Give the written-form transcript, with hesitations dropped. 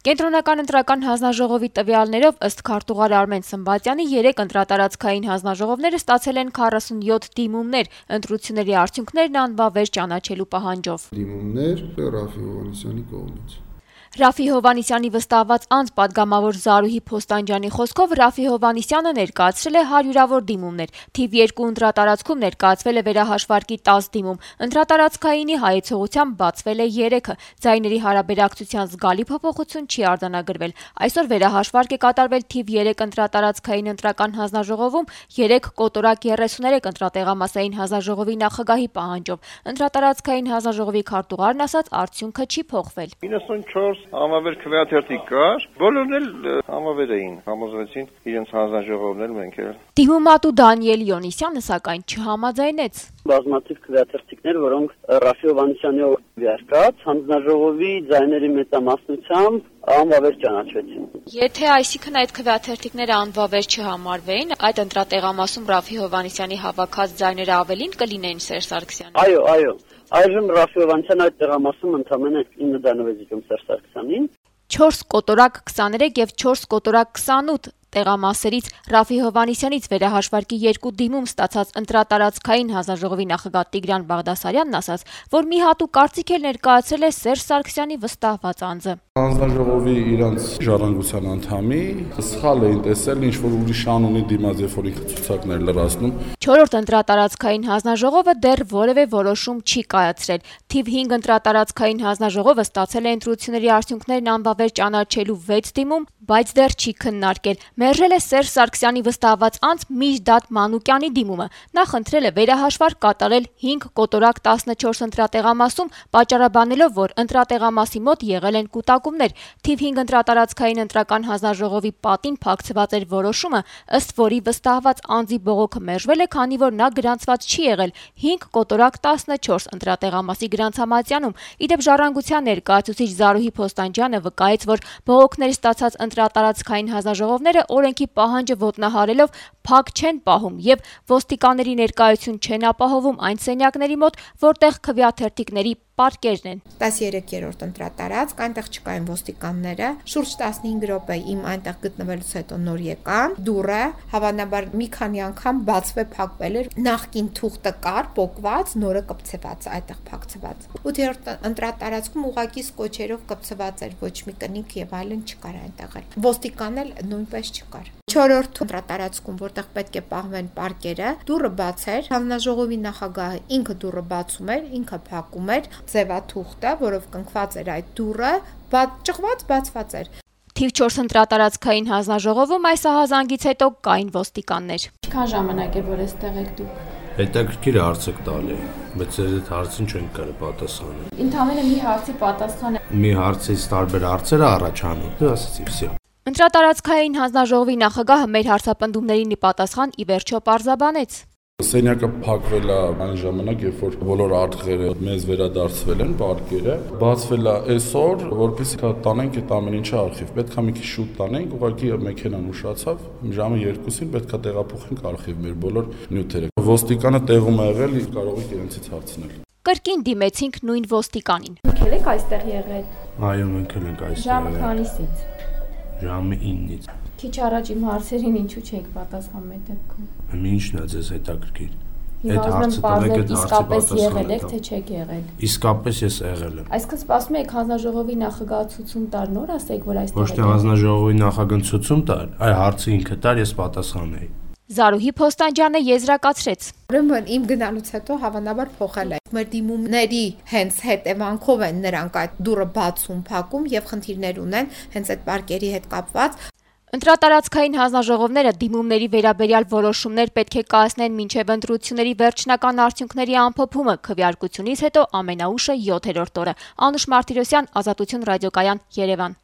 Կենտրոնական ընտրական հանձնաժողովի տվյալներով ըստ քարտուղար Արմեն Սմբատյանի 3 ընտրատարածքային հանձնաժողովները ստացել են 47 դիմումներ, ընտրությունների արդյունքներն անվավեր ճանաչելու պահանջով։ Դիմումներ Ռաֆի Հովհաննիսյանի կողմից։ Ռաֆի Հովհաննիսյանի վստահված անձ պատգամավոր Զարուհի Փոստանջյանի խոսքով Ռաֆի Հովհաննիսյանը ներկայացրել է հարյուրավոր դիմումներ, թիվ 2 ընտրատարածքում ներկայացվել է վերահաշվարկի 10 դիմում, ընտրատարածքայինի հայեցողությամբ բացվել է 3-ը, ձայների հարաբերակցության զգալի փոփոխություն չի արձանագրվել։ Այսօր վերահաշվարկ է կատարվել թիվ 3 ընտրատարածքային ընտրական հանձնաժողովում 3 կոտորակ 33 ընտրատեղամասային հանձնաժողովի նախագահի պահանջով։ Ընտրատարածքային հանձնաժողովի քարտուղարն ասաց, արդյունքը չի փոխվել։ 94 Համավեր քվեաթերթիկ կար, բոլորն էլ համավեր էին, համոզվեցին իրենց հանձնաժողովն էլ մենք էլ։ Դիմումատու Դանիել Յոնիսյանը սակայն չհամաձայնեց։ Բազմաթիվ քվեաթերթիկներ, որոնք Ռաֆի Հովհաննիսյանի օրվերկած հանձնաժողովի ձայների մեծամասնությամբ անվավեր ճանաչվեցին։ Եթե այսինքն այդ քվեաթերթիկները անվավեր չհամարվեին, այդ ընտրատեղամասում Ռաֆի Հովհաննիսյանի հավաքած ձայները ավելին կլինեին Սերժ Սարգսյանի։ Այո։ Այժմ Ռաֆի Հովհաննիսյանը այդ տեղամասում ընդամենը 9 դանով է զիջում Սերժ Սարգսյանին։ 4 կոտորակ 23 եւ 4 կոտորակ 28 տեղամասերից Ռաֆի Հովհաննիսյանից վերահաշվարկի 2 դիմում ստացած ընտրատարածքային հանձնաժողովի նախագահ Տիգրան Բաղդասարյանն ասաց, որ մի հատուկ կարծիք էլ ներկայացրել է Սերժ Սարգսյանի վստահված անձը։ Հանձնաժողովի իրանց ժառանգության անդամի սխալ էին տեսել, ինչ որ ուրիշ անունի դիմաց, երբ որ ինքը ցուցակներ լրացնում։ 4-րդ ընտրատարածքային հանձնաժողովը դեռ որևէ որոշում չի կայացրել։ Թիվ 5 ընտրատարածքային հանձնաժողովը ստացել է ընտրությունների արդյունքներն անվավեր ճանաչելու 6 դիմում, բայց դեռ չի քննարկել։ Մերժել է Սերժ Սարգսյանի վստահված անձ Միջդատ Մանուկյանի դիմումը։ Նա խնդրել է վերահաշվարկ կատարել 5 կոտորակ 14 ընտրատեղամասում, պատճառաբանելով, որ ընտրատեղամասի մոտ եղել են կուտակումներ։ Թիվ 5 ընտրատարածքային ընտրական հանձնաժողովի պատին փակցված էր որոշումը, ըստ որի վստահված անձի բողոքը մերժվել է, քանի որ նա գրանցված չի եղել 5 կոտորակ 14 ընտրատեղամասի գրանցամատյանում։ Իդեպ ժառանգության ներկայացուցիչ Զարուհի Փոստանջյանը վկայեց, որ բողոքներ ստացած ընտրատարածքային հանձնաժողովները օրենքի պահանջը ոտնահարելով փակ չեն պահում եւ ոստիկանների ներկայություն չեն ապահովում այն սենյակների մոտ, որտեղ քվեաթերթիկների պարկերն են։ 13-րդ ընտրատարածք, այնտեղ չկային ոստիկանները, շուրջ 15 րոպե իմ այնտեղ գտնվելուց հետո նոր եկան, դուռը հավանաբար մի քանի անգամ բացվել փակվել էր, նախկին թուղթը կար, պոկված, նորը կպցված, այդտեղ փակցված։ 8-րդ ընտրատարածքում ուղակի սկոչերով կպցված էր, ոչ մի կնիկ եւ այլն չկար այնտեղ էլ։ Ոստիկան էլ նույնպես չկար։ 4-րդ ընտրատարածքում, որտեղ պետք է պահվեն պարկերը, դուռը բաց էր, հանձնաժողովի նախագահը ինքը դուռը բացում էր, ինքը փակում էր, ձևաթուղթը, որով կնքված էր այդ դուռը, ճղված բացված էր։ Թիվ 4 ընտրատարածքային հանձնաժողովում այս ահազանգից հետո կային ոստիկաններ։ Ինչքան ժամանակ է, որ այստեղ եք դուք։ Հետաքրքիր հարց եք տալի, բայց այդ հարցին չենք կարող պատասխանել։ Ընդհանրապես մի հարցի պատասխանը։ Մի հարցից տարբեր հարցեր առաջանում։ Դու ասացի, վсё։ Ընտրատարածքային հանձնաժողովի նախագահը մեր հարցապնդումներին ի պատասխան ի վերջո պարզաբանեց։ Սենյակը փակվել է այն ժամանակ, երբ որ բոլոր արտղերը մեզ վերադարձվել են, պարկերը, բացվել է այսօր, որպեսզի տանենք այդ ամեն ինչը արխիվ։ Պետք է մի քիչ շուտ տանենք, ուղղակի մեքենան ուշացավ, ժամը 2-ին պետք է տեղափոխենք արխիվ մեր բոլոր նյութերը։ Ոստիկանը տեղում է եղել, կարող եք իրենցից հարցնել։ Կրկին դիմեցինք նույն ոստիկանին։ Դուք եք այստեղ եղել։ Այո, մենք ենք այստեղ։ Ժամը քանիսից։ Ժամը 9-ից։ Քիչ առաջ իմ հարցերին ինչու չեք պատասխանում այդ դեպքում։ Ինչն է ձեզ հետաքրքիր։ Այդ հարցը տվեք իսկապես եղել եք, թե չեք եղել։ Իսկապես ես եղել եմ։ Այսինքն սպասում եք հանձնաժողովի նախագահ ցուցում տար, նոր ասեք, որ այստեղ եք։ Ոչ թե հանձնաժողովի նախագահ ցուցում տար, այ հարցը ինքը տար, ես պատասխանեի։ Զարուհի Փոստանջյանը եզրակացրեց։ Ուրեմն իմ գնալուց հետո հավանաբար փոխել է։ Մեր դիմումների հենց հետևանքով են նրանք այդ դուռը բացում, փակում եւ խնդիրներ ունեն հենց այդ պարկերի հետ կապված։ Ընտրատարածքային հանձնաժողովները դիմումների վերաբերյալ որոշումներ պետք է կայացնեն մինչև ընտրությունների վերջնական արդյունքների ամփոփումը քվեարկությունից հետո ամենաուշը 7-րդ օրը։ Անուշ Մարտիրոսյան, Ազատություն ռադիոկայան, Երևան։